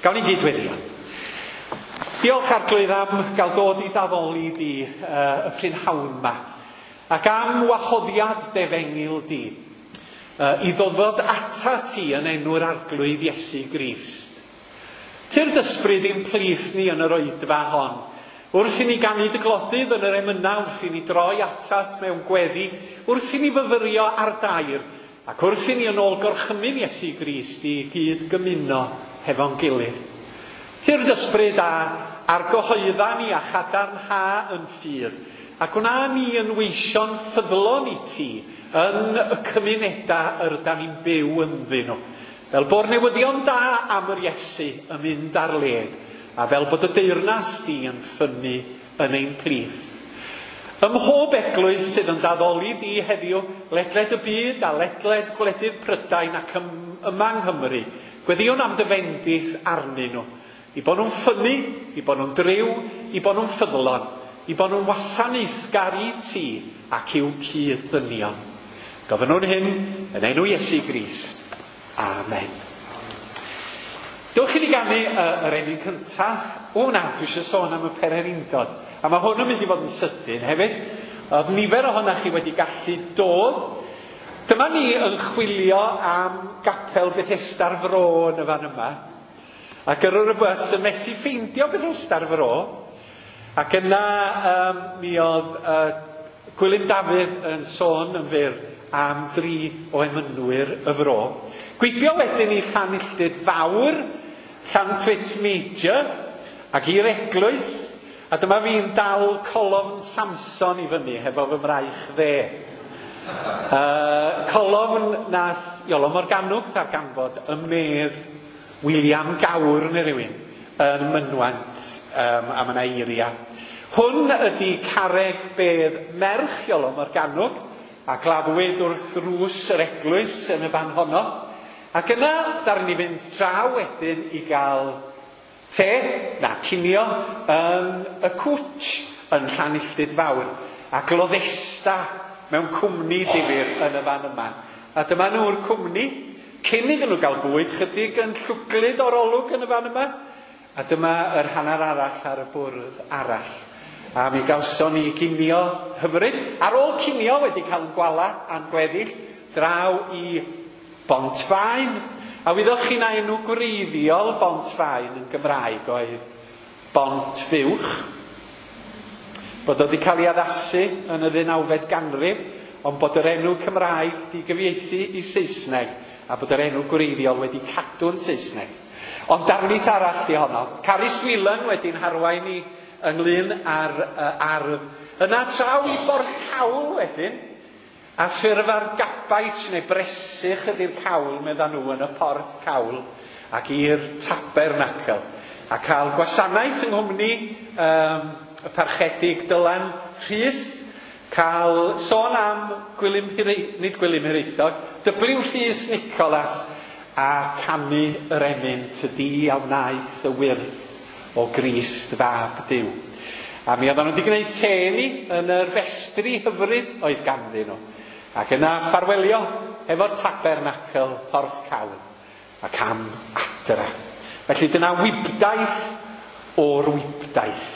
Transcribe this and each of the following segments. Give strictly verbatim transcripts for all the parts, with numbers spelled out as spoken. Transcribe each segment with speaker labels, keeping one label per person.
Speaker 1: Gawn ni gyd weddio. Diolch Arglwydd am gael dod i d'addoli di uh, y prynhawn ma, ac am wahoddiad d'efengyl di, uh, i ddod ata ti yn enw'r Arglwydd Iesu Grist. Tyrd ysbryd i'n plith ni yn yr oedfa hon, wrth i ni ganu dy glodydd yn yr emynau, wrth i ni droi atat mewn gweddi, wrth i ni fyfyrio ar dair, ac wrth i ni yn ôl gorchymyn Iesu Grist i gyd gymuno hefo'n gilydd. Tyrd ysbryd a argyhoedda ni a chadarnha yn ffydd, a gwna ni yn weision ffyddlon i ti yn y cymunedau yr ydan ni'n byw ynddyn nhw. Fel bo'r newyddion da am yr Iesu yn mynd ar led, a fel bod y deyrnas di yn ffynnu yn ein plith. Ym mhob eglwys sydd yn d'addoli di heddiw, ledled y byd a ledled gwledydd Prydain ac ym, yma yng Nghymru, gweddïwn am dy fendith arnyn nhw. I bod nhw'n ffynnu, i bod nhw'n driw, i bod nhw'n ffyddlon, i bod nhw'n wasanaethgar i ti ac i'w cyd-ddynion. Gofynnwn hyn yn enw Iesu Grist. Amen. Dewch i ni ganu uh, yr emyn cyntaf. O na, dwi eisiau sôn am y pererindod. A mae hwn yn mynd i fod yn sydyn hefyd. Oedd nifer ohonoch chi wedi gallu dod. Dyma ni yn chwilio am gapel Bethesda'r Fro yn y fan yma. Ac gyrrwr y bws yn methu ffeindio Bethesda'r Fro. Ac yna um, mi oedd uh, Gwilym Dafydd yn sôn yn fyr am dri o emynwyr y fro. Gwibio wedyn i Llanilltud Fawr, Llantwit Major, ac i'r eglwys, a dyma fi'n dal colofn Samson i fyny hefo fy mraich dde. Uh, colofn nath Iolo Morganwg ddarganfod y medd William Gawr neu rywun yn Mynwent, um, a mae yna eiria. Hwn ydy carreg bedd merch Iolo Morganwg, a gladdwyd wrth rws yr eglwys yn y fan honno. Ac yna, ddaru ni fynd draw wedyn i gael te, na, cinio, yn y cwtch yn Llanilltud Fawr, a gloddesta mewn cwmni difyr yn y fan yma. A dyma nhw'r cwmni, cyn iddyn nhw gael bwyd, chydig yn llwglyd o'r olwg yn y fan yma, a dyma yr hanner arall ar y bwrdd arall. A mi gawson ni ginio hyfryd. Ar ôl cinio wedi cael yn gwala a'n gweddill, draw i Bontfaen. A wyddoch chi na enw gwreiddiol Bontfaen yn Gymraeg oedd Bont Fuwch. Bod o wedi cael ei addasu yn y ddeunawfed ganrif, ond bod yr enw Cymraeg di gyfieithu i Saesneg, a bod yr enw gwreiddiol wedi cadw'n Saesneg. Ond darlith arall di honno. Carys Whelan wedi'n harwain i ynglyn â'r uh, ardd. Yna traw i Borth Cawl wedyn, a ffurf ar gabait neu bresych ydy'r cawl, medda nhw, yn y Porth Cawl, ac i'r tabernacl. A cael gwasanaeth yng nghwmni um, y parchedig Dylan Rhys, cael sôn am Gwilym Hire, nid Gwilym Hiraethog, W Rhys Nicholas, a canu yr emyn tydi a wnaeth y wyrth o Grist fab Duw. A mi oedden nhw wedi gwneud te ni yn yr festri hyfryd oedd ganddyn nhw. Ac yna ffarwelio efo'r tabernacl Porth Cawl ac am adra. Felly dyna wibdaith o'r wibdaith.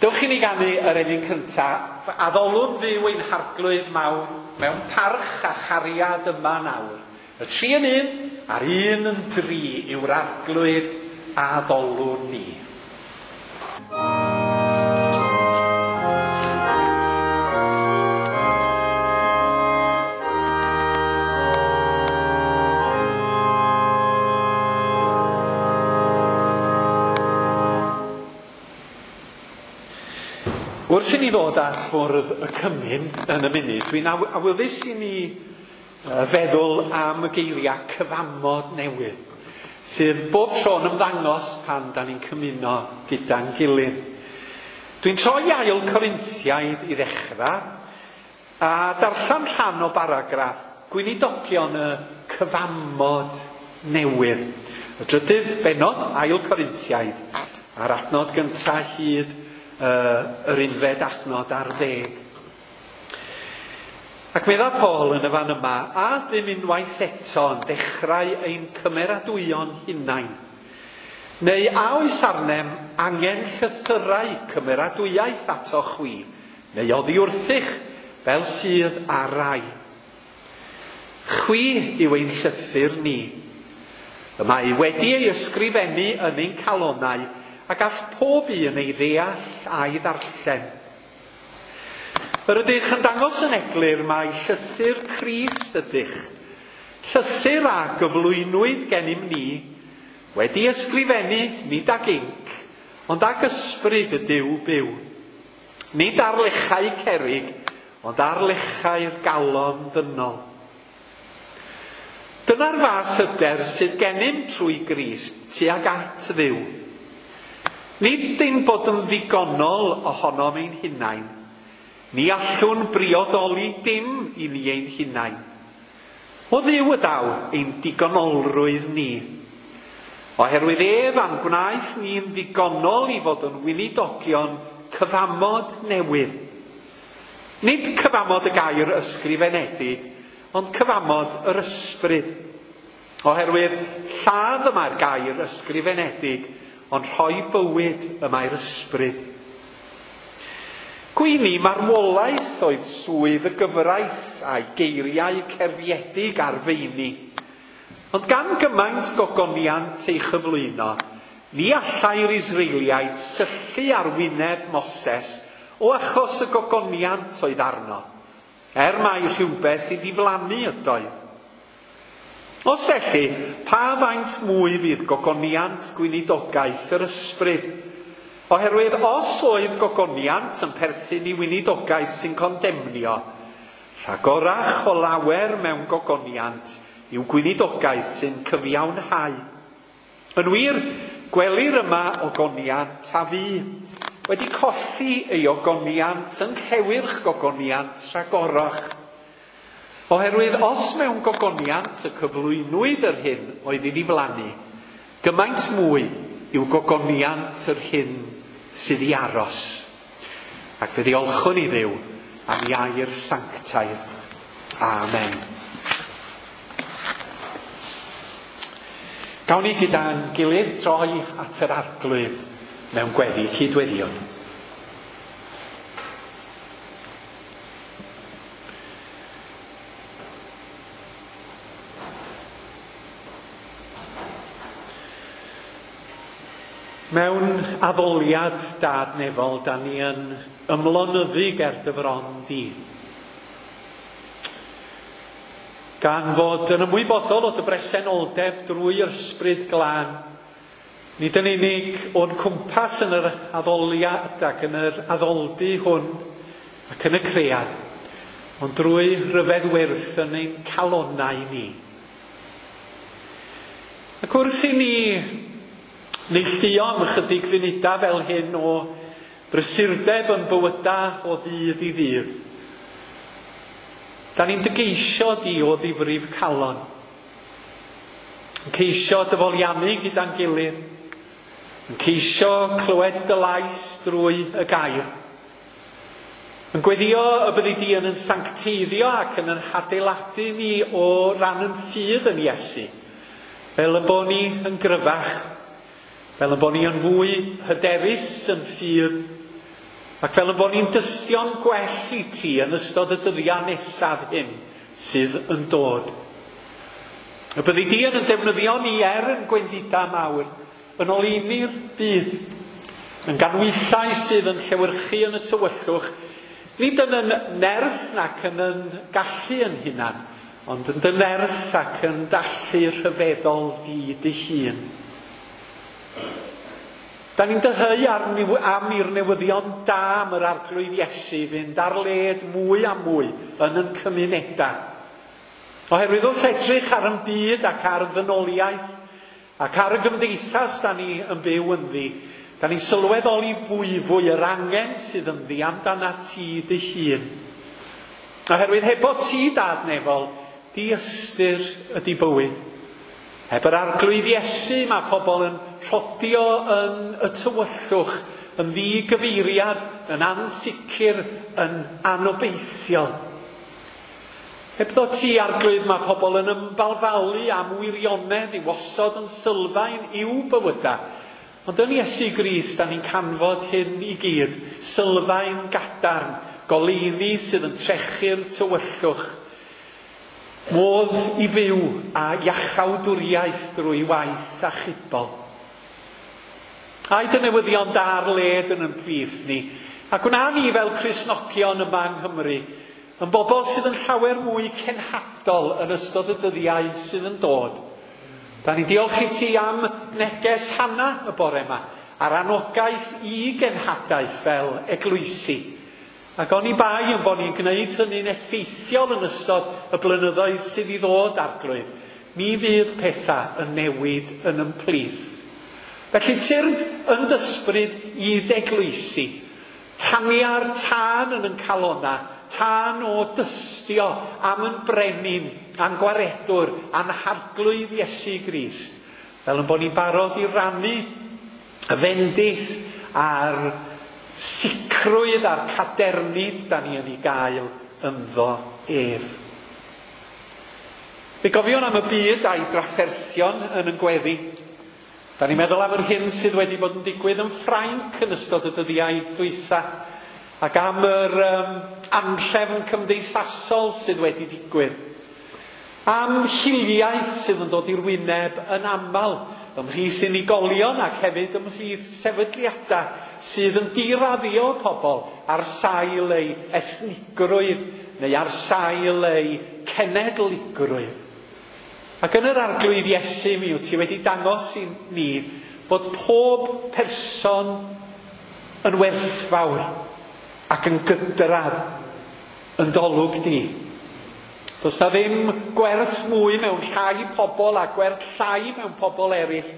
Speaker 1: Dewch i ni ganu yr emyn cyntaf. Addolwn Dduw ein harglwydd mawr mewn parch a chariad yma nawr. Y tri yn un a'r un yn dri yw'r arglwydd addolwn ni. Wrth i ni ddod at fwrdd y cymun yn y munud, dwi'n awyddus i ni feddwl am y geiriau cyfamod newydd, sydd bob tro'n ymddangos pan da ni'n cymuno gyda'n gilydd. Dwi'n troi ail Corinthiaid i ddechrau, a darllen rhan o baragraff gweinidogion y cyfamod newydd. Y drydydd bennod, ail Corinthiaid, a'r adnod gyntaf hyd uh, yr unfed adnod ar ddeg. Ac medda Paul yn y fan yma, a dim unwaith eto yn dechrau ein cymeradwyon hunain, Neu a oes arnem angen llythyrau cymeradwyaeth ato chwi, neu oddi wrthych fel sydd ar rai. Chwi yw ein llythyr ni. Y mae wedi ei ysgrifennu yn ein calonau a gall pob un ei ddeall a'i ddarllen. Yr ydych yn dangos yn eglur mai llythyr Crist ydych, llythyr a gyflwynwyd gennym ni, wedi ysgrifennu nid ag inc, ond ag ysbryd y Duw byw. Nid ar lechau cerrig, ond ar lechau'r galon ddynol. Dyna'r fath hyder sydd gennym trwy Grist tuag at Dduw. Nid ein bod yn ddigonol ohonom ein hunain. Ni allwn briodoli dim i ni ein hunain. O Dduw y daw ein digonolrwydd ni. Oherwydd ef a'n gwnaeth ni'n ddigonol i fod yn weinidogion cyfamod newydd. Nid cyfamod y gair ysgrifenedig, ond cyfamod yr ysbryd. Oherwydd lladd y mae'r gair ysgrifenedig, ond rhoi bywyd y mae'r ysbryd. Gweini marwolaeth oedd swydd y gyfraith a'i geiriau cerfiedig ar feini. Ond gan gymaint gogoniant ei chyflwyno, ni allai'r Israeliaid syllu ar wyneb Moses o achos y gogoniant oedd arno, er mai rhywbeth i ddiflannu ydoedd. Os felly, pa faint mwy fydd gogoniant gweinidogaeth yr ysbryd? Oherwydd os oedd gogoniant yn perthyn i weinidogaeth sy'n condemnio, rhagorach o lawer mewn gogoniant yw gweinidogaeth sy'n cyfiawnhau. Yn wir, gwelir yma ogoniant a fu, wedi colli ei ogoniant yn llewyrch gogoniant rhagorach. Oherwydd os mewn gogoniant y cyflwynwyd yr hyn oedd ei ddiflannu, gymaint mwy yw gogoniant yr hyn sydd i aros. Ac fe ddiolchwn i Dduw am ei air sanctaidd. Amen. Gawn ni gyda'n gilydd droi at yr Arglwydd mewn gweddi cydweddion. Mewn addoliad dad nefol, da ni yn ymlonyddu ger dy fron di. Gan fod yn ymwybodol o dy bresenoldeb drwy'r ysbryd glân, nid yn unig o'n cwmpas yn yr addoliad ac yn yr addoldy hwn ac yn y cread, ond drwy ryfedd wyrth yn ein calonnau ni. Ac wrth i ni neilltuo am ychydig funudau fel hyn o brysurdeb yn bywyda o ddydd i ddydd, da ni'n dygeisio di o ddifrif calon. Yn ceisio dyfoliannu gyda'n gilydd. Yn ceisio clywed dy lais drwy y gair. Yn gweddio y byddi di yn yn sancteiddio ac yn yn hadeiladu ni o ran yn ffydd yn Iesu. Fel y bo ni yn gryfach. Fel y bo ni yn fwy hyderus yn ffydd. Ac fel y bod ni'n dystio'n gwell i ti yn ystod y dyddiau nesaf hyn sydd yn dod. Y byddi di yn defnyddio ni er yn gwendidau mawr, yn oleuni'r byd, yn ganwyllau sydd yn llewyrchu yn y tywyllwch, nid yn yn nerth nac yn yn gallu yn hunan, ond yn dy nerth ac yn dallu rhyfeddol di dy hun. Da ni'n dyheu ar, am i'r newyddion da am yr Arglwydd Iesu fynd ar led mwy a mwy yn yn cymunedau. Oherwydd wrth edrych ar yn byd ac ar ddynoliaeth ac ar y gymdeithas da ni yn byw ynddi, da ni'n sylweddoli fwy fwy yr angen sydd ynddi amdana ti dy hun. Oherwydd hebo ti dad nefol, di ystyr ydi bywyd. Heb yr Arglwydd Iesu mae pobl yn rhodio yn y tywyllwch, yn ddigyfeiriad, yn ansicr, yn anobeithiol. Hebddo ti, Arglwydd, mae pobl yn ymbalfalu am wirionedd i osod yn sylfaen i'w bywydau. Ond yn Iesu Grist, da ni'n canfod hyn i gyd, sylfaen gadarn, goleuni sydd yn trechu'r tywyllwch, modd i fyw a iachawdwriaeth drwy waith achubol. Aed y newyddion da ar led yn ein plith ni, a gwna ni fel Cristnogion yma yng Nghymru, yn bobl sydd yn llawer mwy cenhadol yn ystod y dyddiau sydd yn dod. Da ni'n diolch i ti am neges Hanna y bore yma, a'r anogaeth i genhadaeth fel eglwysi. Ac oni bai yn bod ni'n gwneud hynny'n effeithiol yn ystod y blynyddoedd sydd i ddod, Arglwydd, mi fydd pethau yn newid yn ymplith. Felly tyrd yn dysbryd i d'eglwysi, tania'r tân yn yn calona, tân o dystio am yn brenin, am gwaredwr, am Harglwydd Iesu Grist, fel yn bod ni'n barod i rannu y fendith a'r sicrwydd a'r cadernid da ni yn ei gael ynddo ef. Fe gofiwn am y byd a'i drafferthion yn yn gweddi. Da ni'n meddwl am yr hyn sydd wedi bod yn digwydd yn Ffrainc yn ystod y dyddiau dwytha, ac am yr um, anhrefn cymdeithasol sydd wedi digwydd. Am hiliaeth sydd yn dod i'r wyneb yn aml, ymhlith unigolion ac hefyd ymhlith sefydliadau sydd yn diraddio pobl ar sail eu ethnigrwydd neu ar sail eu cenedligrwydd. Ac yn yr Arglwydd Iesu mi wyt ti wedi dangos i ni bod pob person yn werthfawr ac yn gydradd yn dolwg di. Does na ddim gwerth mwy mewn rhai pobl a gwerth llai mewn pobl eraill,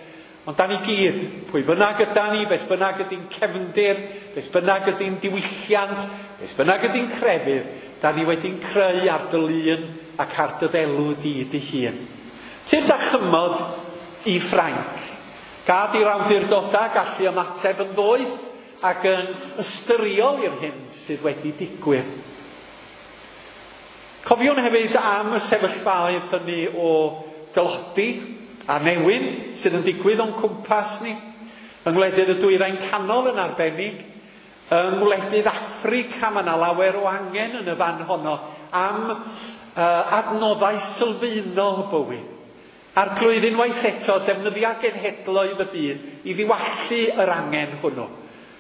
Speaker 1: ond da ni gyd, pwy bynnag yda ni, beth bynnag ydy'n cefndir, beth bynnag ydy'n diwylliant, beth bynnag ydy'n crefydd, da ni wedi'n creu ar dy lun ac ar dy ddelw di dy hun. Tyrd a chymod i Ffrainc. Gad i'r awdurdodau gallu ymateb yn ddoeth ac yn ystyriol i'r hyn sydd wedi digwydd. Cofiwn hefyd am y sefyllfaoedd hynny o dylodi a newyn sydd yn digwydd o'n cwmpas ni, yng ngwledydd y Dwyrain Canol yn arbennig, yng ngwledydd Affrica, mae yna lawer o angen yn y fan honno am uh, adnoddau sylfaenol bywyd. Arglwydd, unwaith eto, defnyddia genhedloedd y byd i ddiwallu yr angen hwnnw.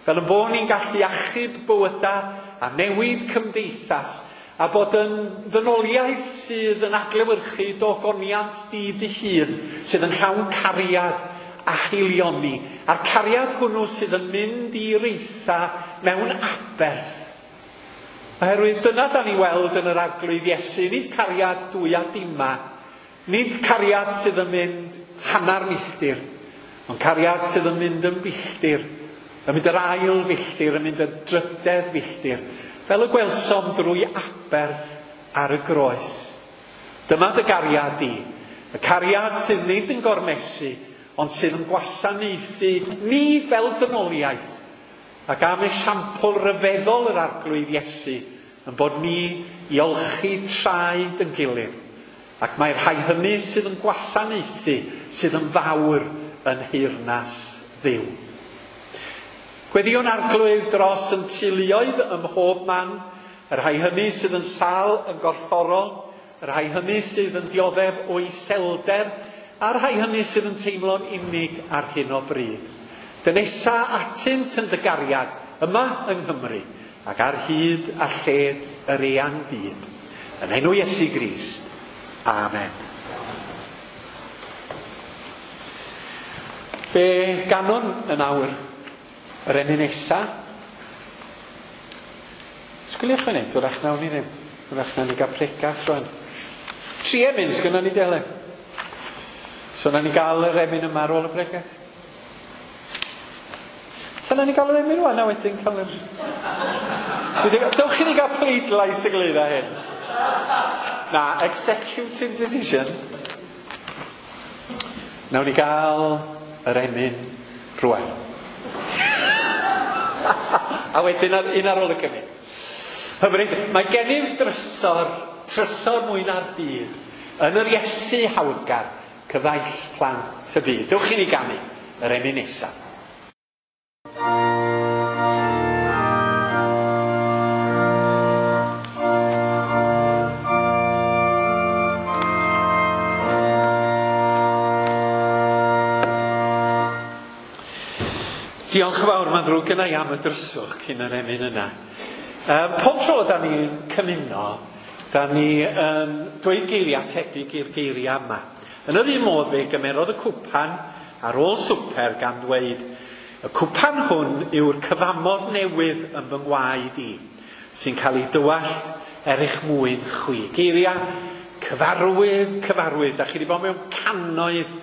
Speaker 1: Fel yn bod ni'n gallu achub bywydau a newid cymdeithas, a bod yn ddynoliaeth sydd yn adlewyrchu dogoniant di dy hun, sydd yn llawn cariad a haelioni, a'r cariad hwnnw sydd yn mynd i reitha mewn aberth. Oherwydd dyna da ni weld yn yr Arglwydd Iesu, nid cariad dwy a dima, nid cariad sydd yn mynd hanner milltir, ond cariad sydd yn mynd yn filltir, yn mynd yr ail filltir, yn mynd y drydedd filltir, fel y gwelsom drwy aberth ar y groes. Dyma dy gariad di, y cariad sydd nid yn gormesu, ond sydd yn gwasanaethu ni fel dynoliaeth, ac am esiampl ryfeddol yr Arglwydd Iesu, yn bod ni i olchi traed yn gilydd, ac mae'r rhai hynny sydd yn gwasanaethu, sydd yn fawr yn nheyrnas Dduw. Gweddïwn Arglwydd dros yn teuluoedd ym mhob man, y rhai hynny sydd yn sâl yn gorfforol, y rhai hynny sydd yn dioddef o iselder, a'r rhai hynny sydd yn teimlo'n unig ar hyn o bryd. Dynesa atynt yn dy gariad yma yng Nghymru, ac ar hyd a lled yr eang byd. Yn enw Iesu Grist. Amen. Fe ganwn yn awr yr emyn nesa. Sgwiliwch funud, wrach nawn ni ddim. Wrach nawn ni gael pregath rwan. Tri emyn sgynnon ni dele. So nawn ni gael yr emyn yma ar ôl y pregath. Ta nawn ni gael yr emyn rwan a wedyn cael yr... Dewch i ni gael pleidlais ynglyn â hyn. Na, executive decision. Nawn ni gael yr emyn rwan. A wedyn un ar ôl y cynnig. Hyfryd, mae gennyf drysor trysor mwy na'r byd, yn yr Iesu hawddgar, cyfaill plant y byd. Dewch i ni ganu yr emyn nesaf. Diolch yn fawr, mae'n ddrwg gynna i am y dryswch cyn yr emyn yna. Um, pob tro da ni'n cymuno, da ni yn dweud geiriau tebyg i'r geiriau yma. Yn yr un modd fe gymerodd y cwpan ar ôl swper gan ddweud, y cwpan hwn yw'r cyfamod newydd yn fy ngwaed i, sy'n cael ei dywallt er eich mwyn chwi. Geiriau cyfarwydd, cyfarwydd. Da chi wedi bod mewn cannoedd,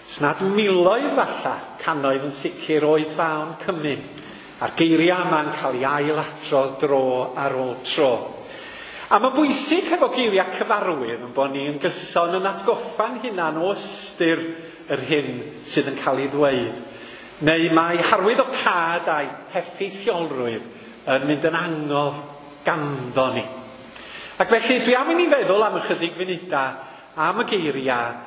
Speaker 1: snad miloedd falla, cannoedd yn sicr oed fawn cymun. A'r geiriau yma'n cael ei ailadrodd dro ar ôl tro. A mae'n bwysig hefo geiriau cyfarwydd yn bod ni yn gyson yn atgoffa'n hunan o ystyr yr hyn sydd yn cael ei ddweud. Neu mae harwyddocâd a'i heffeithiolrwydd yn mynd yn angof ganddo ni. Ac felly dwi am i ni feddwl am ychydig funudau am y geiriau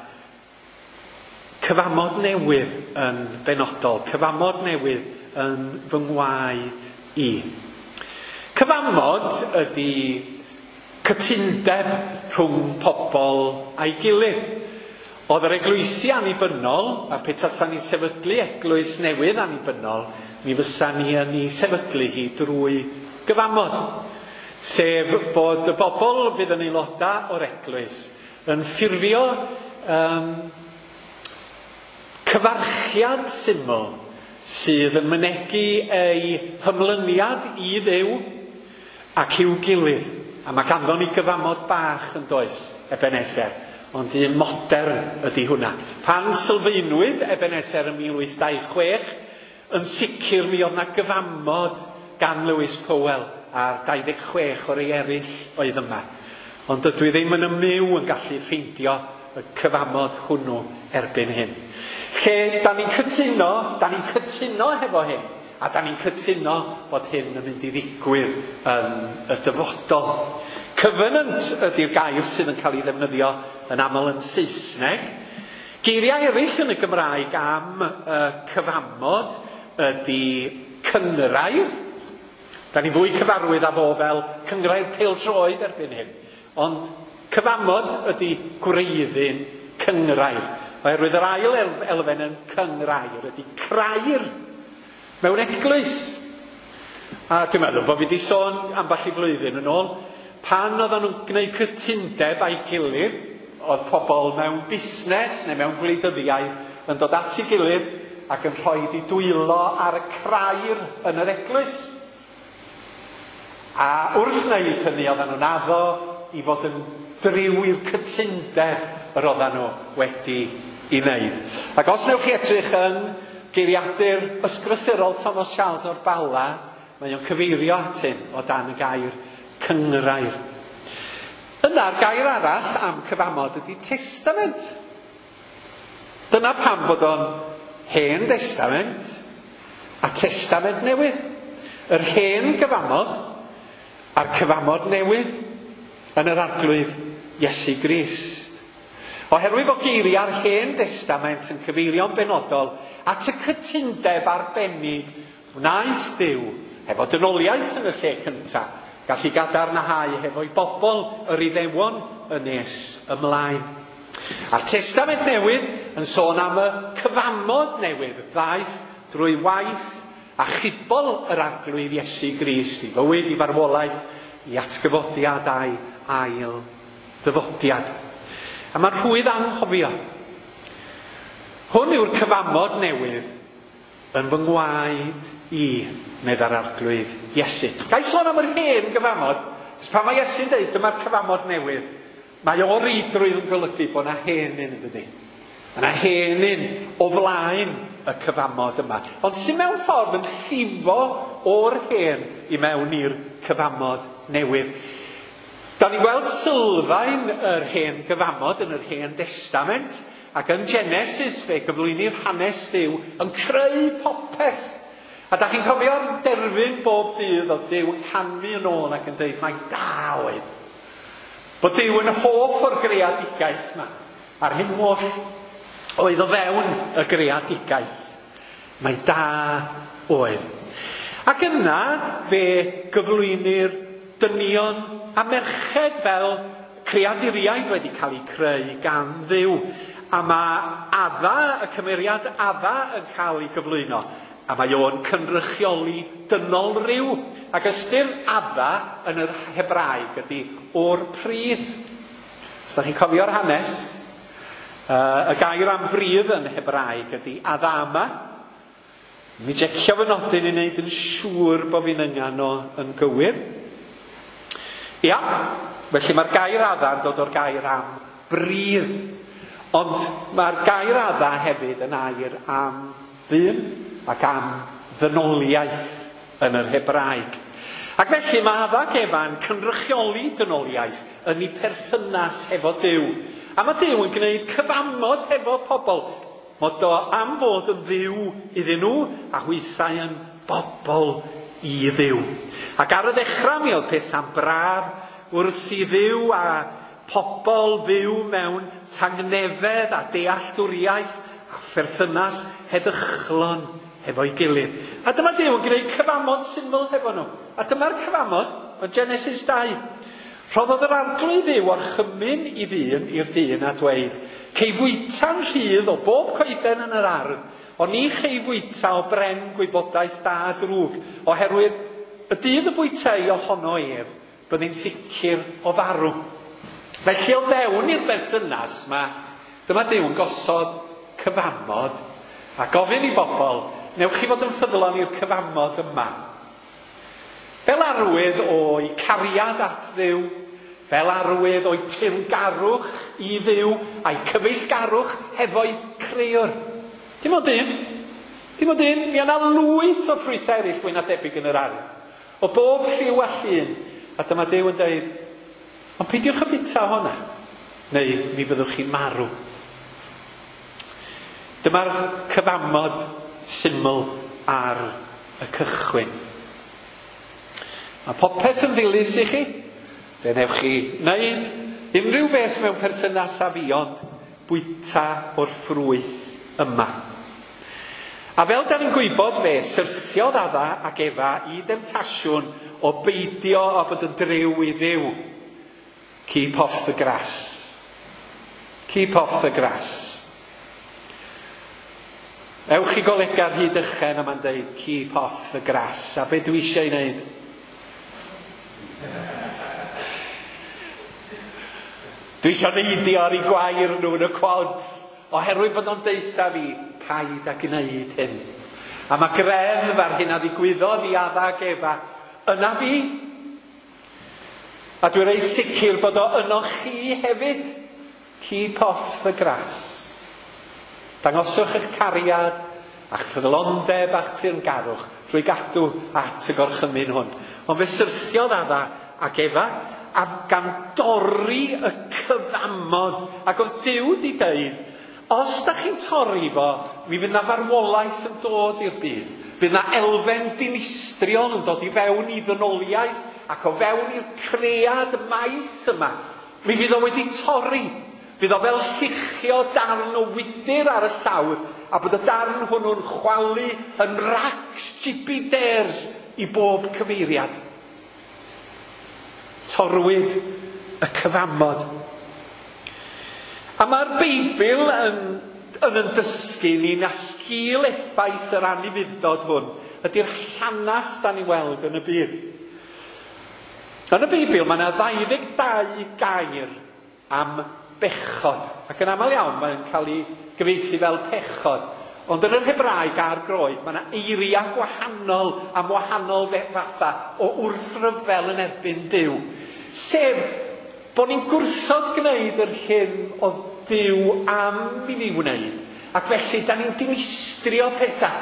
Speaker 1: cyfamod newydd yn benodol, cyfamod newydd yn fy ngwaed i. Cyfamod ydy cytundeb rhwng pobl a'i gilydd. Oedd yr eglwysi annibynnol, a petasan ni'n sefydlu eglwys newydd annibynnol, mi fysa ni yn ei sefydlu hi drwy gyfamod. Sef bod y bobl fydd yn aelodau o'r eglwys yn ffurfio um, cyfarchiad syml sydd yn mynegi ei hymlyniad i Dduw ac i'w gilydd. A mae ganddo ni gyfamod bach yn does, Ebenezer, ond un modern ydy hwnna. Pan sylfaenwyd Ebenezer yn mil wyth dau chwech, yn sicr mi oedd na gyfamod gan Lewis Powell a'r dau ddeg chwech o'r ei eraill oedd yma. Ond dydw i ddim yn ymyw yn gallu ffeindio y cyfamod hwnnw erbyn hyn. Lle da ni'n cytuno, da ni'n cytuno hefo hyn, a da ni'n cytuno bod hyn yn mynd i ddigwydd yn y dyfodol. Covenant ydy'r gair sydd yn cael ei ddefnyddio yn aml yn Saesneg. Geiriau eraill yn y Gymraeg am y cyfamod ydy cynghrair. Da ni fwy cyfarwydd â fo fel cynghrair pêl-droed erbyn hyn. Ond cyfamod ydy gwreiddyn cynghrair. Oherwydd yr ail elfen yn cynghrair ydy crair mewn eglwys. A dwi'n meddwl bod fi wedi sôn ambell i flwyddyn yn ôl, pan oedden nhw'n gwneud cytundeb a'i gilydd, oedd pobl mewn busnes neu mewn gwleidyddiaeth yn dod at ei gilydd ac yn rhoi eu dwylo ar y crair yn yr eglwys. A wrth wneud hynny oedden nhw'n addo i fod yn driw i'r cytundeb yr oedden nhw wedi i wneud. Ac os newch chi edrych yn geiriadur ysgrythurol Thomas Charles o'r Bala, mae o'n cyfeirio at hyn o dan y gair cynghrair. Yna'r gair arall am cyfamod ydy testament. Dyna pam bod o'n hen testament a testament newydd. Yr hen gyfamod a'r cyfamod newydd yn yr Arglwydd Iesu Grist. Oherwydd bod geiriau'r hen testament yn cyfeirio'n benodol at y cytundeb arbennig wnaeth Duw hefo dynoliaeth yn y lle cyntaf, gallu gadarnhau hefo'i bobl yr Iddewon yn nes ymlaen. A'r testament newydd yn sôn am y cyfamod newydd ddaeth drwy waith achubol yr Arglwydd Iesu Grist i fywyd, i farwolaeth, i atgyfodiad a'i ail ddyfodiad. A mae'n rhwydd anghofio. Hwn yw'r cyfamod newydd yn fy ngwaed i, meddai'r Arglwydd Iesu. Ga i sôn am yr hen gyfamod? Cos pan mae Iesu'n dweud dyma'r cyfamod newydd, mae o reidrwydd yn golygu bod yna hen un yn dydi. Mae yna hen un o flaen y cyfamod yma. Ond sy'n mewn ffordd yn llifo o'r hen i mewn i'r cyfamod newydd. Da ni'n gweld sylfaen yr hen gyfamod yn yr hen testament, ac yn Genesis fe gyflwynir hanes Duw yn creu popeth. A da chi'n cofio'r derfyn bob dydd oedd Duw yn canfu yn ôl ac yn dweud mai da oedd. Bod Duw yn hoff o'r greadigaeth yma. A'r hyn oll oedd o fewn y greadigaeth. Mae da oedd. Ac yna fe gyflwynir dynion a merched fel creaduriaid wedi cael eu creu gan Dduw. A mae Adda, y cymeriad Adda, yn cael ei gyflwyno. A mae o'n cynrychioli dynol ryw. Ac ystyr Adda yn yr Hebraeg ydy o'r pridd. Os da chi'n cofio'r hanes, uh, y gair am bridd yn Hebraeg ydy Adama. Mi jecio fy nodyn i wneud yn siŵr bod fi'n yngan o yn gywir. Ia, felly mae'r gair Adda yn dod o'r gair am bridd. Ond mae'r gair Adda hefyd yn air am ddyn ac am ddynoliaeth yn yr Hebraeg. Ac felly mae Adda ac Efa'n cynrychioli dynoliaeth yn ei perthynas hefo Duw. A mae Duw yn gwneud cyfamod hefo pobl. Mod o am fod yn Dduw iddyn nhw a hwythau yn bobl i Dduw. Ac ar y ddechrau mi oedd pethau'n braf wrth i Dduw a pobl fyw mewn tangnefedd a dealltwriaeth a pherthynas heddychlon hefo'i gilydd. A dyma Duw yn gwneud cyfamod syml hefo nhw. A dyma'r cyfamod yn Genesis dau. Rhoddodd yr Arglwydd Dduw orchymyn i ddyn i'r dyn a dweud, cei fwyta'n rhydd o bob coeden yn yr ardd, ond ni chei fwyta o bren gwybodaeth da a drwg, oherwydd y dydd y bwytei ohono ef, byddi'n sicr o farw. Felly o fewn i'r berthynas yma, dyma Duw yn gosod cyfamod a gofyn i bobl, newch chi fod yn ffyddlon i'r cyfamod yma. Fel arwydd o'i cariad at Dduw, fel arwydd o'i teyrngarwch i Dduw a'i cyfeillgarwch hefo'i crëwr. Dim ond un, dim ond un, mi yna lwyth o ffrwythau eraill fwy na debyg yn yr ardd. O bob lliw a llun. A dyma Duw yn dweud, ond peidiwch â bwyta honna, neu mi fyddwch chi'n marw. Dyma'r cyfamod syml ar y cychwyn. Mae popeth yn ddilys i chi. Fe newch chi wneud unrhyw beth mewn perthynas â fi, ond bwyta o'r ffrwyth yma. A fel da ni'n gwybod, fe syrthiodd Adda ac Efa i demtasiwn o beidio â bod yn driw i Dduw. Keep off the grass. Keep off the grass. Ewch i golega'r hyd ychen a mae'n deud keep off the grass. A be dwi eisiau ei wneud? Dwi eisiau neidio ar ei gwair nhw yn y quads, oherwydd bod nhw'n deutha fi, paid â gwneud hyn. A mae greddf ar hyn a ddigwyddodd i Adda ac Efa yna fi. A dwi'n reit sicr bod o yno chi hefyd. Keep off the grass. Dangoswch eich cariad a'ch ffyddlondeb a'ch teyrngarwch drwy gadw at y gorchymyn hwn. Ond fe syrthiodd Adda ac Efa a gan dorri y cyfamod. Ac oedd Duw di deud, os da chi'n torri fo, mi fydd na farwolaeth yn dod i'r byd. Fydd na elfen dinistriol yn dod i fewn i ddynoliaeth ac o fewn i'r cread maith yma. Mi fydd o wedi torri. Fydd o fel lluchio darn o wydyr ar y llawr a bod y darn hwnnw'n chwalu yn racs jibiders i bob cyfeiriad. Torrwyd y cyfamod. A mae'r Beibl yn, yn yn dysgu ni na sgil effaith yr anufudd-dod hwn ydy'r llanast da ni weld yn y byd. Yn y Beibl mae yna ddau ddeg dau gair am bechod. Ac yn aml iawn mae'n cael ei gyfieithu fel pechod. Ond yn yr Hebraeg a'r Groeg mae yna eiriau gwahanol am wahanol fatha o wrthryfel yn erbyn Duw. Sef bod ni'n gwrthod gwneud yr hyn oedd Duw am i ni wneud. Ac felly da ni'n dinistrio pethau.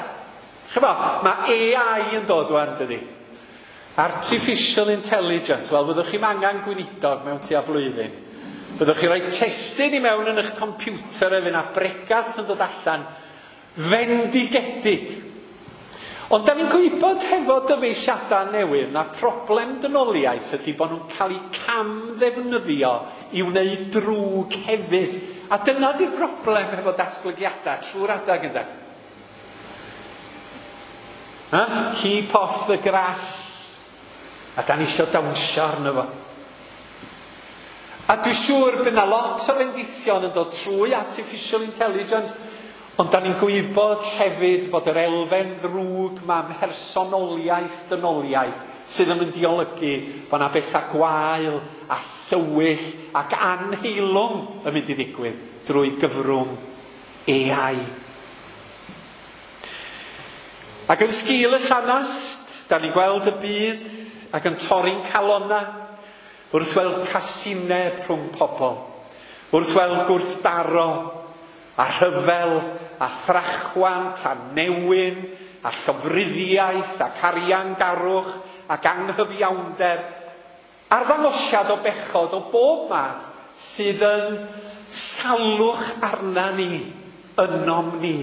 Speaker 1: Chyfo, mae A I yn dod wan, dydi? Artificial Intelligence. Wel, fyddwch chi'm angen gweinidog mewn tua blwyddyn. Byddwch chi rhoi testun i mewn yn eich computer efo na bregath yn dod allan fendigedig. Ond da ni'n gwybod hefo dyfeisiadau newydd na problem dynoliaeth ydy bod nhw'n cael eu camddefnyddio i wneud drwg hefyd. A dyna di'r broblem hefo datblygiadau trwy'r adag ynde. Ha? Keep off the grass. A da ni isio dawnsio arno fo. A dwi'n siŵr bydd 'na lot o fendithion yn dod trwy artificial intelligence, ond da ni'n gwybod hefyd bod yr elfen ddrwg ma mhersonoliaeth dynoliaeth sydd yn mynd i olygu bod 'na bethau gwael a thywyll ac anheilwng yn mynd i ddigwydd drwy gyfrwng A I. Ac yn sgil y llanast, da ni'n gweld y byd ac yn torri'n calonna wrth weld casineb rhwng pobl, wrth weld gwrthdaro a rhyfel a thrachwant a newyn a llofruddiaeth ac ariangarwch ac anghyfiawnder, arddangosiad o bechod o bob math sydd yn salwch arna ni, ynom ni.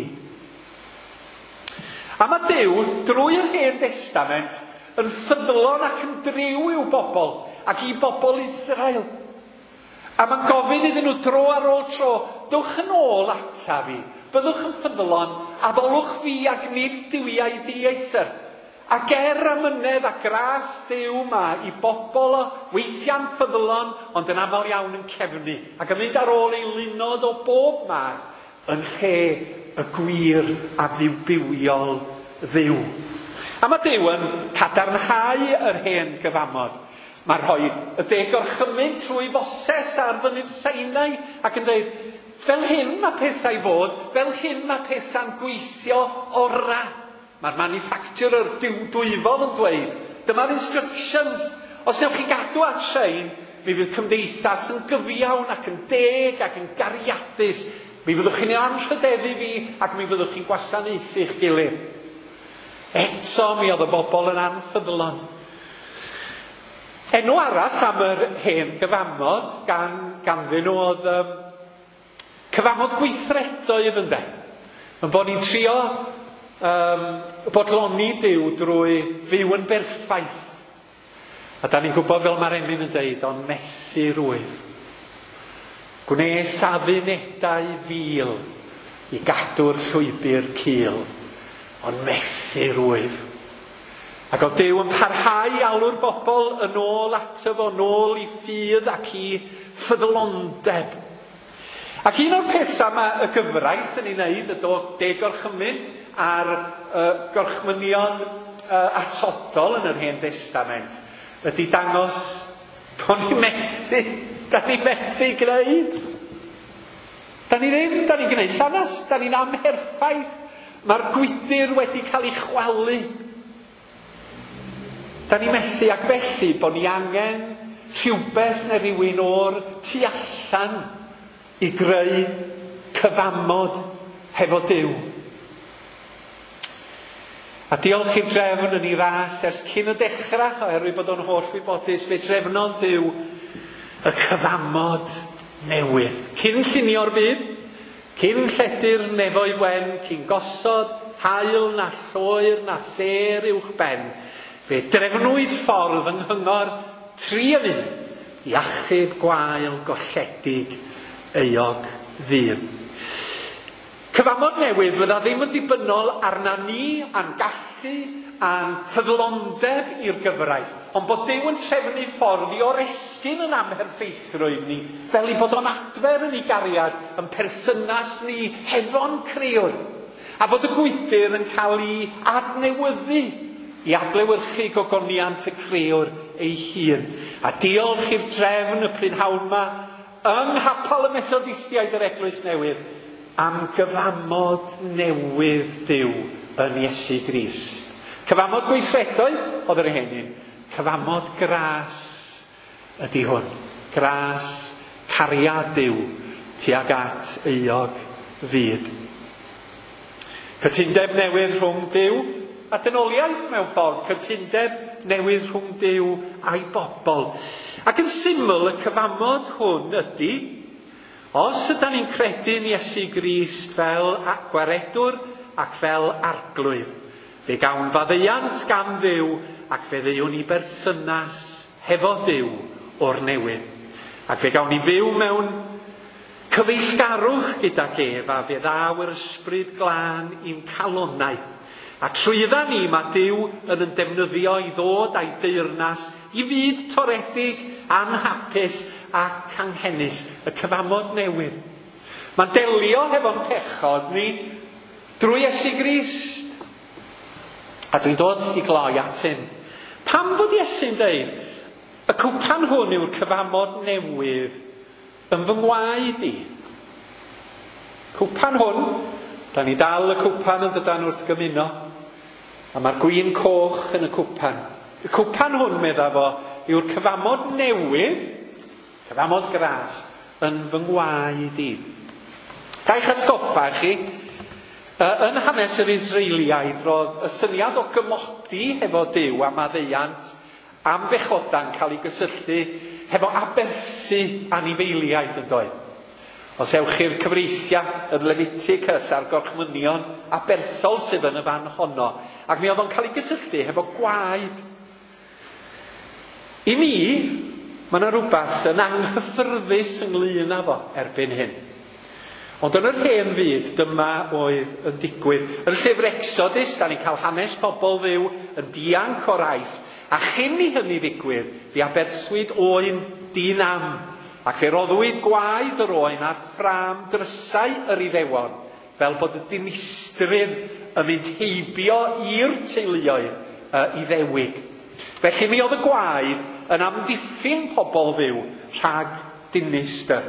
Speaker 1: A mae Duw, drwy'r Hen Testament, yn ffyddlon ac yn driw i'w bobl ac i bobl Israel. A mae'n gofyn iddyn nhw dro ar ôl tro, dewch yn ôl ata fi, byddwch yn ffyddlon, addolwch fi ac nid duwiau dieithr. Ac er amynedd a gras Duw ma i bobl o weithiau'n ffyddlon, ond yn aml iawn yn cefnu, ac yn mynd ar ôl eilunod o bob math yn lle y gwir a ddiwbywiol Dduw. A mae Duw yn cadarnhau yr hen gyfamod. Mae'n rhoi y deg orchymyn trwy Foses ar fynydd Sinai ac yn dweud, fel hyn mae pethau fod, fel hyn mae pethau'n gweithio ora. Mae'r manufacturer dwyfol yn dweud, dyma'r instructions. Os newch chi gadw at rhain, mi fydd cymdeithas yn gyfiawn ac yn deg ac yn gariadus. Mi fyddwch chi'n anrhydeddu fi ac mi fyddwch chi'n gwasanaethu eich gilydd. Eto mi oedd y bobl yn anffyddlon. Enw arall am yr hen gyfamod gan, ganddyn nhw oedd um, cyfamod gweithredoedd ynde. Yn bod ni'n trio um, bodloni Duw drwy fyw yn berffaith. A da ni'n gwybod fel mae'r emyn yn deud, ond methu rwyf. Gwnes addunedau fil i gadw'r llwybr cul, ond methu rwyf. Ac oedd Duw yn parhau alw'r bobl yn ôl ato fo, yn ôl i ffydd ac i ffyddlondeb. Ac un o'r pethau mae y gyfraith yn ei wneud, y deg gorchymyn a'r uh, gorchmynion uh, atodol yn yr Hen Testament, ydy dangos bod ni'n methu, da ni'n methu gwneud. Da ni ddim, da ni'n gwneud llanast, da ni'n amherffaith. Mae'r gwydr wedi cael ei chwalu. Da ni methu ac felly bod ni angen rhywbeth neu rhywun o'r tu allan i greu cyfamod hefo Duw. A diolch i'r drefn yn ei ras ers cyn y dechrau, oherwydd bod o'n holl wybodus, fe drefnodd Duw y cyfamod newydd. Cyn llunio'r byd, cyn lledu'r nefoedd wen, cyn gosod haul na lloer na sêr uwch ben, fe drefnwyd ffordd yng nghyngor tri yn un i achub gwael golledig euog ddyn. Cyfamod newydd fydda ddim yn dibynnol arna ni a'n gallu a'n ffyddlondeb i'r gyfraith, ond bod Duw yn trefnu ffordd i oresgyn yn amherffeithrwydd ni, fel i bod o'n adfer yn ei gariad, yn perthynas ni hefo'n crëwr, a fod y gwydr yn cael ei adnewyddu i adlewyrchu gogoniant y crëwr ei hun. A diolch i'r drefn y prynhawn ma yng Nghapel y Methodistiaid yr Eglwys Newydd am gyfamod newydd Duw yn Iesu Grist. Cyfamod gweithredoedd oedd yr hen un. Cyfamod gras ydy hwn. Gras cariad Duw tuag at euog fyd. Cytundeb newydd rhwng Duw a dynoliaeth mewn ffordd. Cytundeb newydd rhwng Duw a'i bobl. Ac yn syml, y cyfamod hwn ydy, os ydyn ni'n credu'n Iesu Grist fel gwaredwr ac fel arglwydd, Fe gawn faddeuant gan Dduw ac fe ddeuwn ni berthynas hefo Duw o'r newydd. Ac fe gawn ni fyw mewn cyfeillgarwch gydag ef a fe ddaw yr ysbryd glân i'n calonnau. A trwydda ni mae Duw yn yn defnyddio i ddod a'i deyrnas i fyd toredig, anhapus ac anghenus, y cyfamod newydd. Mae'n delio hefo'n pechod ni drwy Iesu Grist. A dwi'n dod i gloi at hyn. Pam fod Iesu'n deud, y cwpan hwn yw'r cyfamod newydd yn fy ngwaed i? Cwpan hwn, da ni dal y cwpan yn dydan wrth gymuno, a mae'r gwin coch yn y cwpan. Y cwpan hwn, medda fo, yw'r cyfamod newydd, cyfamod gras, yn fy ngwaed i. Ga i'ch atgoffa chi, yn hanes yr Israeliaid, roedd y syniad o gymodi hefo Duw a maddeuant am bechoda'n cael ei gysylltu hefo aberthu anifeiliaid yn doedd. Os ewch i'r cyfreithiau, yr Leviticus a'r gorchmynion aberthol sydd yn y fan honno, ac mi oedd o'n cael ei gysylltu hefo gwaed. I mi, mae yna rhywbeth yn anghyffyrddus ynglyn â fo erbyn hyn. Ond yn yr hen fyd, dyma oedd yn digwydd. Yn y llyfr Exodus, da ni'n cael hanes pobl Dduw yn dianc o'r Aifft. A chyn i hynny ddigwydd, fe aberthwyd oen di-nam. Ac fe roddwyd gwaed yr oen ar ffrâm drysau yr Iddewon, fel bod y dinistrydd yn mynd heibio i'r teuluoedd uh, Iddewig. Felly mi oedd y gwaed yn amddiffyn pobl Dduw rhag dinistr.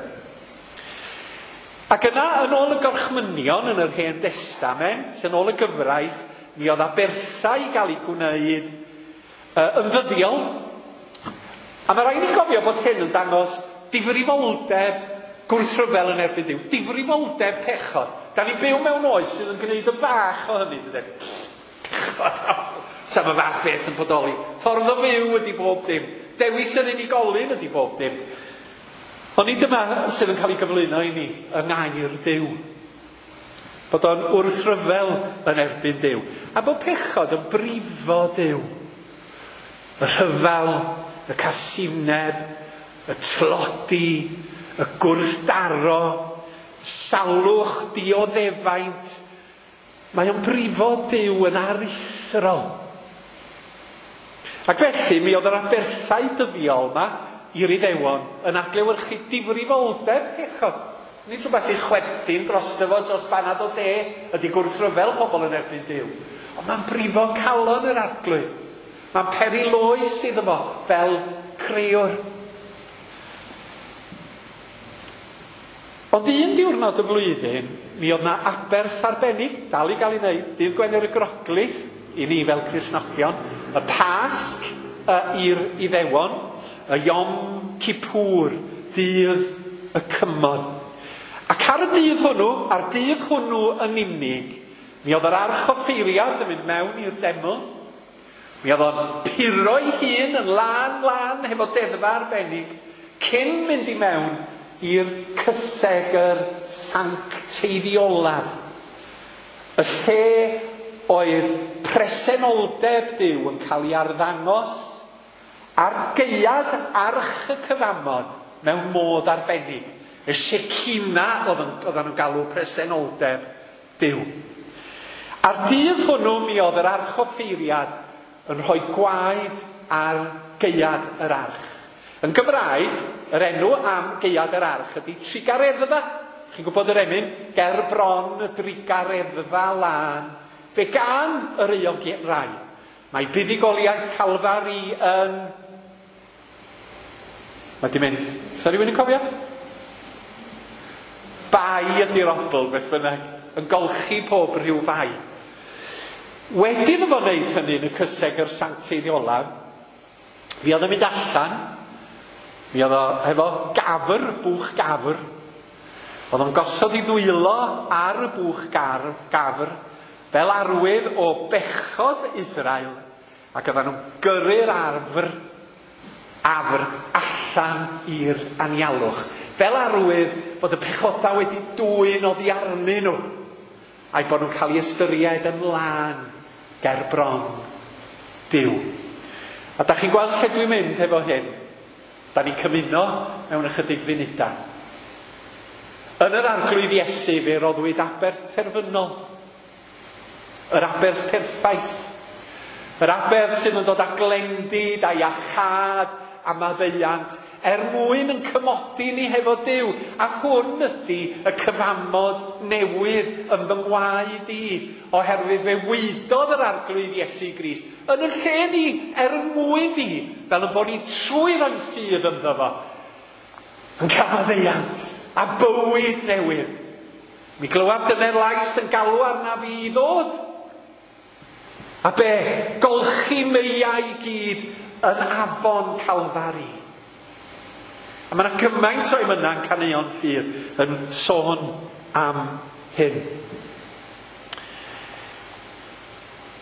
Speaker 1: Ac yna, yn ôl y gorchmynion yn yr Hen Destament, yn ôl y gyfraith, mi oedd aberthau i gael eu gwneud uh, yn ddyddiol. A mae rhaid ni gofio bod hyn yn dangos difrifoldeb gwrthryfel yn erbyn Duw, difrifoldeb pechod. Da ni'n byw mewn oes sydd yn gwneud yn fach o hynny, dydy? Pechod, sa'm y fath beth yn bodoli. Ffordd o fyw ydy bob dim. Dewis yr unigolyn ydy bob dim. Ond nid dyma sydd yn cael ei gyflwyno i ni yng ngair Duw. Bod o'n wrthryfel yn erbyn Duw. A bod pechod yn brifo Duw. Y rhyfel, y casineb, y tlodi, y gwrthdaro, salwch, dioddefaint. Mae o'n brifo Duw yn aruthrol. Ac felly mi oedd yr aberthau dyddiol yma i'r Iddewon yn adlewyrchu difrifoldeb pechod. Nid rhywbeth i chwerthin drosto fo dros banad o de ydy gwrthryfel pobl yn erbyn Duw. Ond mae'n brifo calon yr Arglwydd. Mae'n peri loes iddo fo fel crëwr. Ond un diwrnod y flwyddyn, mi oedd na aberth arbennig, dal i gael ei wneud, dydd Gwener y Groglith, i ni fel Cristnogion, y Pasg i'r Iddewon, y Yom Kippur, dydd y cymod. Ac ar y dydd hwnnw, ar dydd hwnnw yn unig, mi oedd yr archoffeiriad yn mynd mewn i'r deml. Mi oedd o'n puro'i hun yn lân lân hefo deddfa arbennig, cyn mynd i mewn i'r cysegr sancteiddiolaf. Y lle oedd presenoldeb Duw yn cael ei arddangos ar gaead arch y cyfamod mewn modd arbennig. Y Shekinah oedden nhw'n galw presenoldeb Duw. A'r dydd hwnnw mi oedd yr archoffeiriad yn rhoi gwaed ar gaead yr arch. Yn Gymraeg, yr enw am gaead yr arch ydy trugareddfa. Chi'n gwybod yr emyn? Ger bron y drugareddfa lân. Fe gan yr euog rai. Mae buddugoliaeth Calfari yn... Mae di mynd... Sa rhywun yn cofio? Bai ydy'r odl, beth bynnag. Yn golchi pob rhyw fai. Wedyn iddo fo wneud hynny yn y cysegr sancteiddiolaf, mi oedd yn mynd allan, mi oedd o hefo gafr, bwch gafr. Oedd o'n gosod ei ddwylo ar y bwch garf, gafr, fel arwydd o bechod Israel, ac oedden nhw'n gyrru'r arfr, afr allan i'r anialwch. Fel arwydd bod y pechodau wedi dwyn oddi arnyn nhw, a'i bod nhw'n cael ei ystyried yn lân. ger bron Duw. A da chi'n gweld lle dwi'n mynd efo hyn? Da ni'n cymuno mewn ychydig funudau. Yn yr Arglwydd Iesu fe roddwyd aberth terfynol. Yr aberth perffaith. Yr aberth sydd yn dod â glendid a iachâd a maddeuant er mwyn yn cymodi ni hefo Duw. A hwn ydy y cyfamod newydd yn fy ngwaed i, oherwydd fe waedodd yr Arglwydd Iesu Grist yn y lle ni, er mwyn ni, fel y bod ni trwy roi'n ffydd ynddo fo, yn cael maddeuant a bywyd newydd. Mi glywaf dyner lais yn galw arna fi i ddod. A be? Golchi meiau i gyd yn afon Calfari. A mae yna gymaint o emynau'n caneuon ffydd yn sôn am hyn.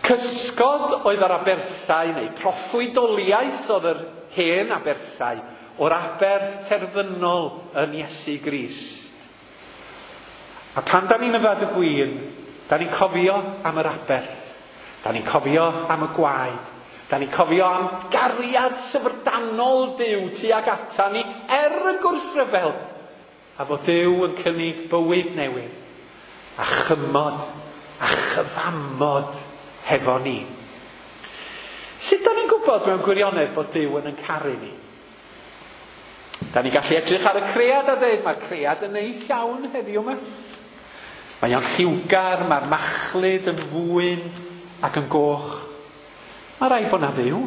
Speaker 1: Cysgod oedd yr aberthau, neu proffwydoliaeth oedd yr hen aberthau, o'r aberth terfynol yn Iesu Grist. A pan da ni'n yfed y gwin, da ni'n cofio am yr aberth, da ni'n cofio am y gwaed, da ni'n cofio am gariad syfrdanol Duw tuag ata ni er y gwrthryfel, a fod Duw yn cynnig bywyd newydd, a chymod, a chyfamod hefo ni. Sut da ni'n gwybod mewn gwirionedd bod Duw yn yn caru ni? Da ni'n gallu edrych ar y cread a dweud, mae'r cread yn neis iawn heddiw yma. Mae o'n lliwgar, mae'r machlud yn fwyn ac yn goch. Mae rhaid bod na Dduw.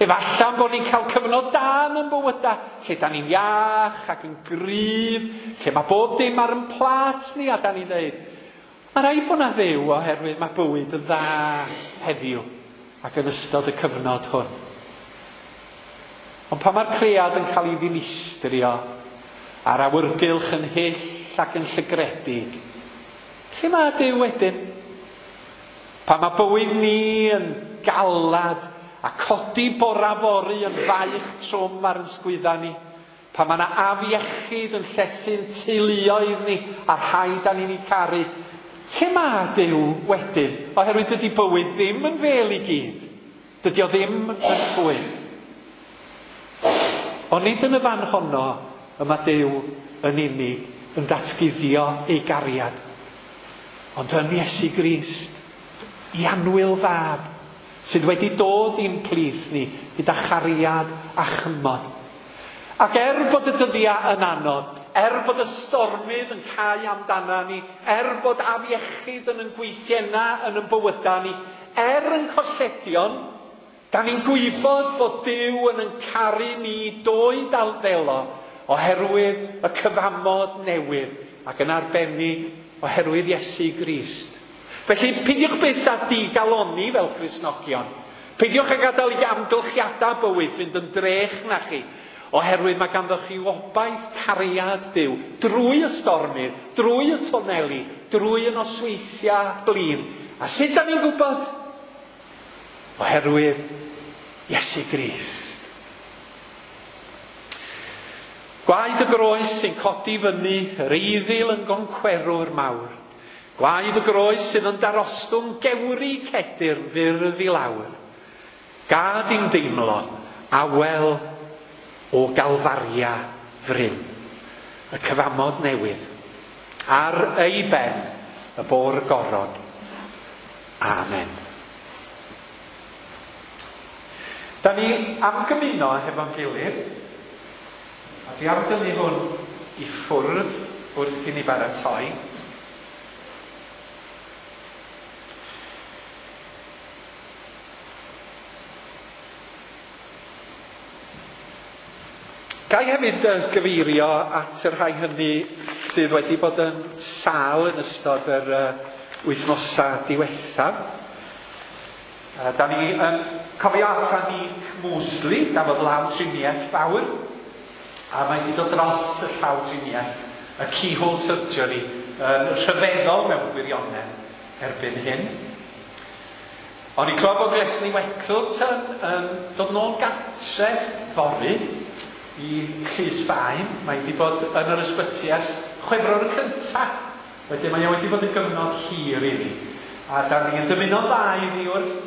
Speaker 1: Efallai bod ni'n cael cyfnod da yn ein bywydau, lle da ni'n iach ac yn gryf, lle mae bob dim ar yn plât ni, a da ni'n dweud, mae rhaid bod na Dduw oherwydd mae bywyd yn dda heddiw ac yn ystod y cyfnod hwn. Ond pan mae'r cread yn cael ei ddinistrio a'r awyrgylch yn hyll ac yn llygredig, lle mae Duw wedyn? Pan mae bywyd ni yn galad a codi bora fory yn faich trwm ar yn sgwydda ni, pan mae yna afiechyd yn llethu'n teuluoedd ni a rhai da ni'n ei caru, lle mae Duw wedyn? Oherwydd dydy bywyd ddim yn fel i gyd. Dydy o ddim yn llwyn. Ond nid yn y fan honno y mae Duw yn unig yn datguddio ei gariad, ond yn Iesu Grist, i annwyl fab, sydd wedi dod i'n plith ni gyda chariad a chymod. Ac er bod y dyddiau yn anodd, er bod y stormydd yn cau amdana ni, er bod afiechyd yn yn gweithienna yn yn bywydau ni, er yn colledion, da ni'n gwybod bod Duw yn yn caru ni dwy dal ddelo oherwydd y cyfamod newydd ac yn arbennig oherwydd Iesu Grist. Felly, peidiwch byth â digalonni fel Cristnogion. Peidiwch â gadael i amgylchiadau bywyd fynd yn drech na chi, oherwydd mae ganddo chi obaith cariad Duw drwy y stormydd, drwy y toneli, drwy y nosweithiau blin. A sut da ni'n gwybod? Oherwydd Iesu Grist. Gwaed y groes sy'n codi fyny yr eiddil yn goncwerwr mawr. Gwaed y groes sydd yn darostwng gewri cedyrn fyrdd i lawr. Gad i'n deimlo awel o Galfaria fryn, y cyfamod newydd, ar ei ben y bo'r goron. Amen. Da ni am gymuno hefo'n gilydd, a dwi am dynnu hwn i ffwrdd wrth i ni baratoi. Ga i hefyd gyfeirio at y rhai hynny sydd wedi bod yn sâl yn ystod yr wythnosau diwethaf. Da ni yn cofio ata Nick Mosley, gafodd lawdriniaeth fawr, a mae wedi dod dros y llawdriniaeth, y keyhole surgery, yn rhyfeddol mewn gwirionedd erbyn hyn. O'n i'n clywed bod Leslie Weckleton yn dod nôl gartref fory i Llys Faen. Mae wedi bod yn yr ysbyty ers Chwefror y cyntaf. Wedyn mae o wedi bod yn gyfnod hir iddi. A da ni'n dymuno dda iddi wrth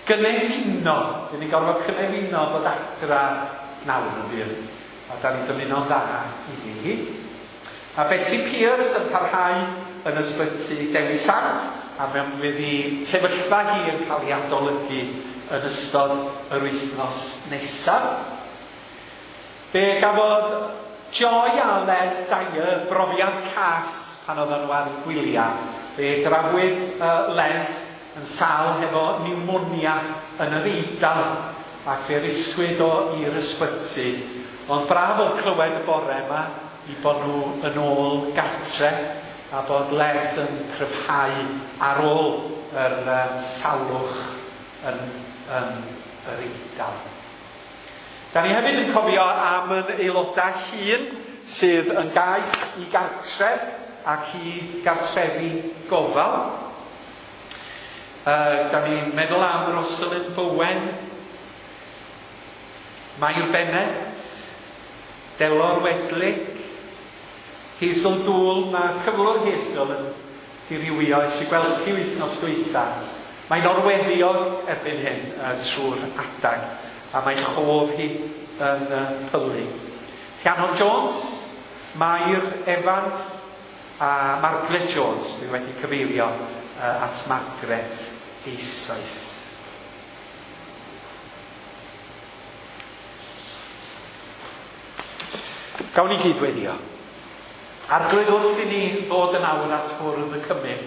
Speaker 1: gynefino. Dyn ni'n gorfod cynefino bod adra nawr yn fyr. A da ni'n dymuno dda iddi hi. A Betty Pierce yn parhau yn ysbyty Dewi Sant, a mewn fydd hi sefyllfa hi yn cael ei adolygu yn ystod yr wythnos nesaf. Fe gafodd Joy a Les Dyer brofiad cas pan oedden nhw ar eu gwyliau. Fe drafwyd uh, Les yn sâl hefo pneumonia yn yr Eidal, ac fe rithwyd o i'r ysbyty. Ond braf oedd clywed y bore yma i bod nhw yn ôl gartre a bod Les yn cryfhau ar ôl yr uh, salwch yn, yn yr Eidal. Da ni hefyd yn cofio am yn aelodau hŷn sydd yn gaeth i gartref ac i gartrefi gofal. Uh, da ni'n meddwl am Rosalind Bowen, Mair Bennett, Delor Wedlick, Hazel Dŵl. Mae cyflwr Hazel yn dirywio, eisiau gweld ti wythnos dwytha. Mae'n orweddiog erbyn hyn uh, trwy'r adag, a mae chof hi yn uh, pylu. Rhiannon Jones, Mair Evans a Margaret Jones. Dwi wedi cyfeirio uh, at Margaret eisoes. Gawn ni gyd weddio. Arglwydd, wrth i ni ddod yn awr at fwrdd y cymun,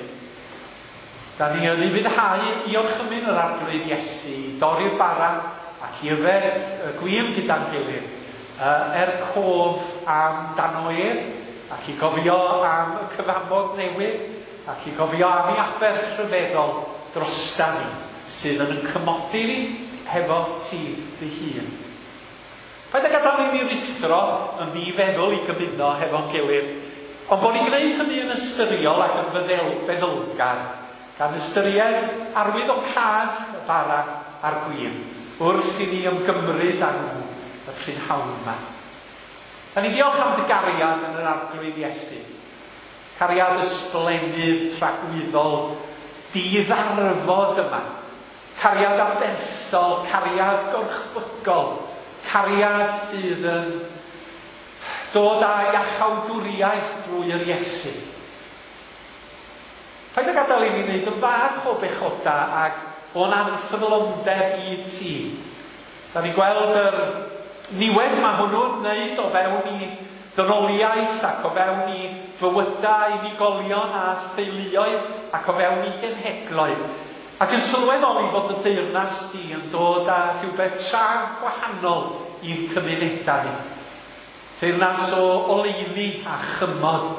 Speaker 1: da ni yn ufuddhau i orchymyn yr Arglwydd Iesu i dorri'r bara ac i yfed y gwin gyda'n gilydd, er cof am dano ef, ac i gofio am y cyfamod newydd, ac i gofio am ei aberth rhyfeddol drosta ni, sydd yn yn cymodi ni hefo ti dy hun. Paid â gadael i ni ruthro yn ddifeddwl i gymuno hefo'n gilydd, ond bod ni'n gwneud hynny yn ystyriol ac yn feddylgar, gan ystyried arwyddocâd y bara a'r gwin, wrth i ni ymgymryd â nhw y prynhawn yma. Da ni'n diolch am dy gariad yn yr Arglwydd Iesu. Cariad ysblennydd tragwyddol, diddarfod yma. Cariad aberthol, cariad gorchfygol, cariad sydd yn dod â iachawdwriaeth drwy yr Iesu. Paid â gadael i ni wneud yn fach o bechoda ac o'n anffyddlondeb i ti. Da ni'n gweld yr niwed mae hwnnw'n wneud o fewn i ddynoliaeth ac o fewn i fywydau unigolion a theuluoedd ac o fewn i genhedloedd. Ac yn sylweddoli bod y deyrnas di yn dod â rhywbeth tra gwahanol i'n cymunedau ni. Teyrnas o oleuni a chymod,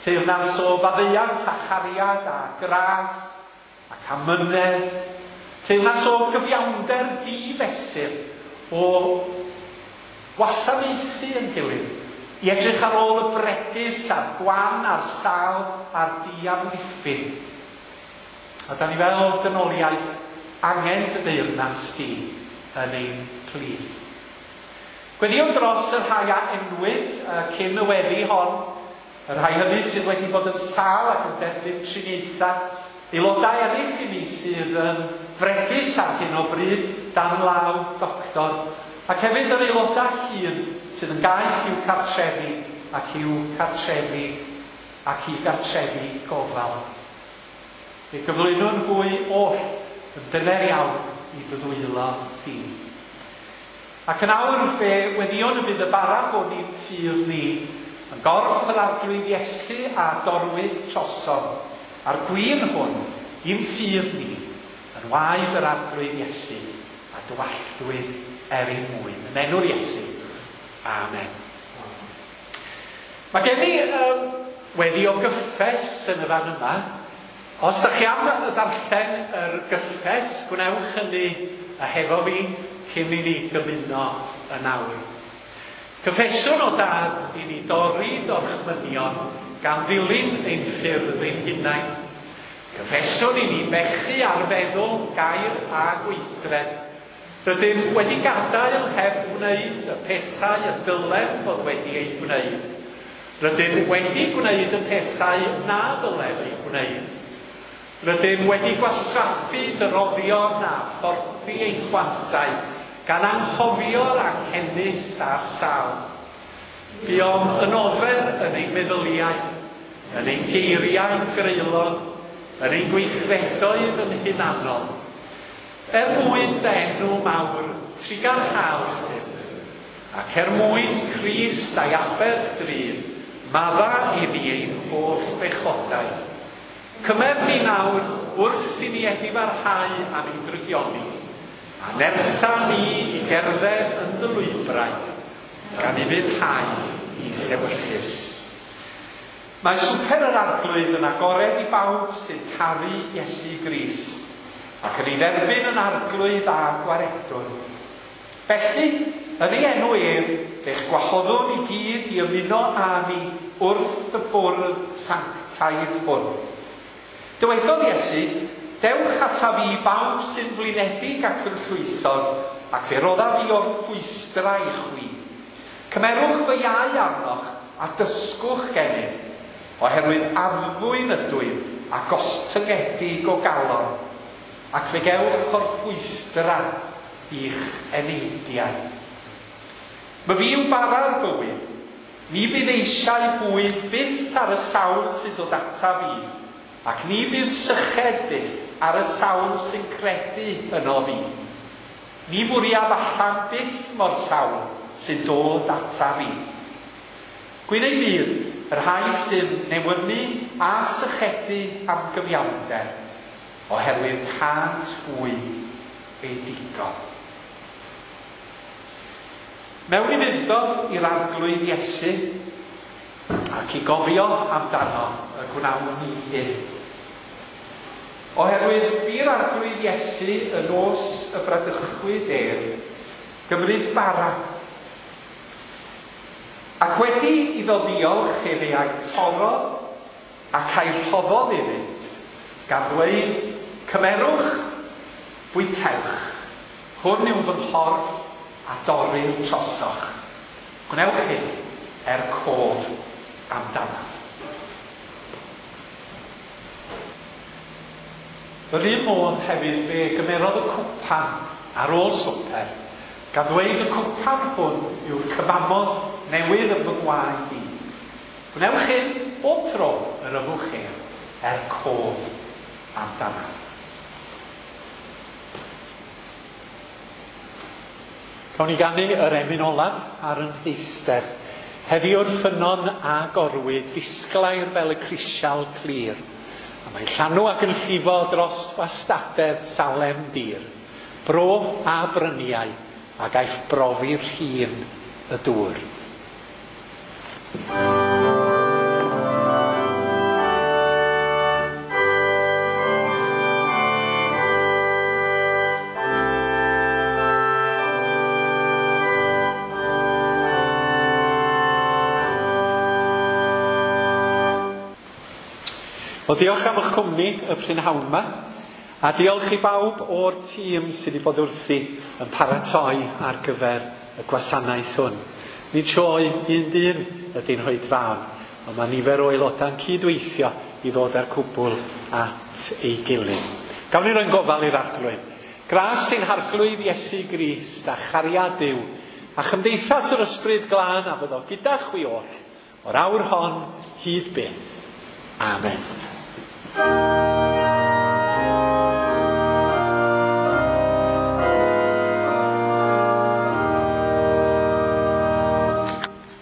Speaker 1: teyrnas o faddeuant a chariad a gras ac amynedd, teyrnas o gyfiawnder difesur, o wasanaethu yn gilydd, i edrych ar ôl y bregus a'r gwan a'r sâl a'r diamddiffyn. A da ni fel dynoliaeth angen dy deyrnas di yn ein plith. Gweddïwn dros y rhai a enwyd uh, cyn y weddi hon, y rhai hynny sydd wedi bod yn sâl ac yn derbyn triniaethau, aelodau eraill i ni sydd yn fregus ar hyn o bryd dan law doctor, ac hefyd yr aelodau hŷn sydd yn gaeth i'w cartrefi ac i'w cartrefi ac i gartrefi gofal. Fe gyflwynwn hwy oll yn dyner iawn i dy ddwylo di. Ac yn awr fe weddïwn y bydd y bara hwn i'n ffydd ni, yn gorff yr Arglwydd Iesu a dorwyd trosom, a'r gwin hwn i'n ffydd ni, yn waed yr Arglwydd Iesu a dywalltwyd er ein mwyn. Yn enw'r Iesu. Amen. Mae gen i um, weddi o gyffes yn y fan yma. Os ydych chi am ddarllen yr gyffes, gwnewch hynny a hefo fi cyn i ni gymuno yn awr. Cyffeswn o Dad i ni dorri dorchmynion gan ddilyn ein ffyrdd ein hunain. Cyffeswn i ni bechu ar feddwl, gair a gweithred. Rydym wedi gadael heb wneud y pethau y dylem fod wedi eu gwneud. Rydym wedi gwneud y pethau na ddylem eu gwneud. Rydym wedi gwastraffu dy roddion a phorthi ein chwantau, gan anghofio'r anghenus a'r sâl. Buom yn ofer yn ein meddyliau, yn ein geiriau'n greulon, yn ein gweithredoedd yn hunanol. Er mwyn dy enw mawr, trugarha wrthym, ac er mwyn Crist a'i aberth drud, madda i ni ein holl bechodau. Cymer ni nawr wrth i ni edifarhau am ein drygioni, a nertha ni i gerdded yn dy lwybrau, gan ufuddhau i'th ewyllys. Mae swper yr Arglwydd yn agored i bawb sy'n caru Iesu Grist, ac yn ei dderbyn yn Arglwydd a Gwaredwr. Felly, yn ei enw ef, fe'ch gwahoddwn i gyd i ymuno â ni wrth y bwrdd sanctaidd hwn. Dywedodd Iesu, dewch ataf fi bawb sy'n flinedig ac yn llwythog, ac fe roddaf fi orffwystra i chwi. Cymerwch fy iau arnoch a dysgwch gennyf, oherwydd addfwyn ydwyf a gostyngedig o galon, ac fe gewch orffwystra i'ch eneidiau. Myfi yw bara'r bywyd, ni fydd eisiau bwyd byth ar y sawl sy'n dod ataf fi, ac ni fydd syched byth ar y sawl sy'n credu yno fi. Ni fwriaf allan byth mo'r sawl sy'n dod ataf fi. Gwyn ei fydd y rhai sy'n newynu a sychedu am gyfiawnder, oherwydd cânt hwy eu digon. Mewn ufudd-dod i'r Arglwydd Iesu, ac i gofio amdano y gwnawn ni hyn. Oherwydd bu'r Arglwydd Iesu y nos y bradychwyd ef, gymryd bara. Ac wedi iddo ddiolch efe a'i torrodd ac a'i rhoddodd iddynt, gan ddweud, cymerwch, bwytewch, hwn yw fy nghorff a dorrir trosoch. Gwnewch hyn er cof amdanaf. Yr un modd hefyd fe gymerodd y cwpan ar ôl swper, gan ddweud y cwpan hwn yw'r cyfamod newydd yn fy ngwaed i. Gwnewch hyn bob tro yr yfwch ef er cof amdanaf. Cawn ni ganu yr emyn olaf ar yn heistedd. Heddiw'r ffynnon a gorwyd, disglair fel y crisial clir. A mae'n llanw ac yn llifo dros wastadedd Salem dir. Bro a bryniau, a gaiff brofi'r rhin y dŵr. Wel, diolch am eich cwmni y prynhawn yma, a diolch i bawb o'r tîm sydd wedi bod wrthi yn paratoi ar gyfer y gwasanaeth hwn. Nid sioe un dyn ydy'n hoedfaon, ond mae nifer o aelodau'n cydweithio i ddod â'r cwbl at ei gilydd. Gawn ni roi'n gofal i'r Arglwydd. Gras ein Harglwydd Iesu Grist a chariad Duw, a chymdeithas yr Ysbryd Glân a fyddo gyda chwi oll, o'r awr hon hyd byth. Amen.